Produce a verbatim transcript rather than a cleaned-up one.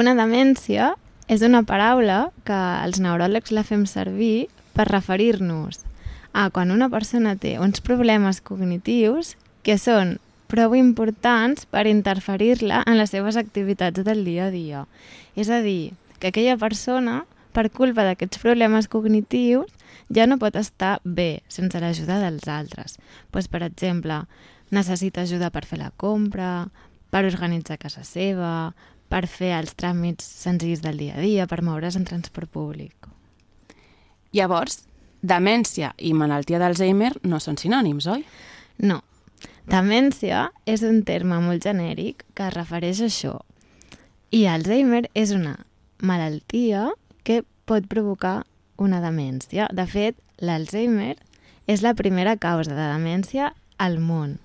Una demència és una paraula que els neuròlegs la fem servir per referir-nos a quan una persona té uns problemes cognitius que són prou importants per interferir-la en les seves activitats del dia a dia. És a dir, que aquella persona, per culpa d'aquests problemes cognitius, ja no pot estar bé sense l'ajuda dels altres. Pues, per exemple, necessita ajuda per fer la compra, per organitzar casa seva, per fer els tràmits senzills del dia a dia, per moure's en transport públic. Llavors, demència i malaltia d'Alzheimer no són sinònims, oi? No. Demència és un terme molt genèric que es refereix a això. I Alzheimer és una malaltia que pot provocar una demència. De fet, l'Alzheimer és la primera causa de demència al món.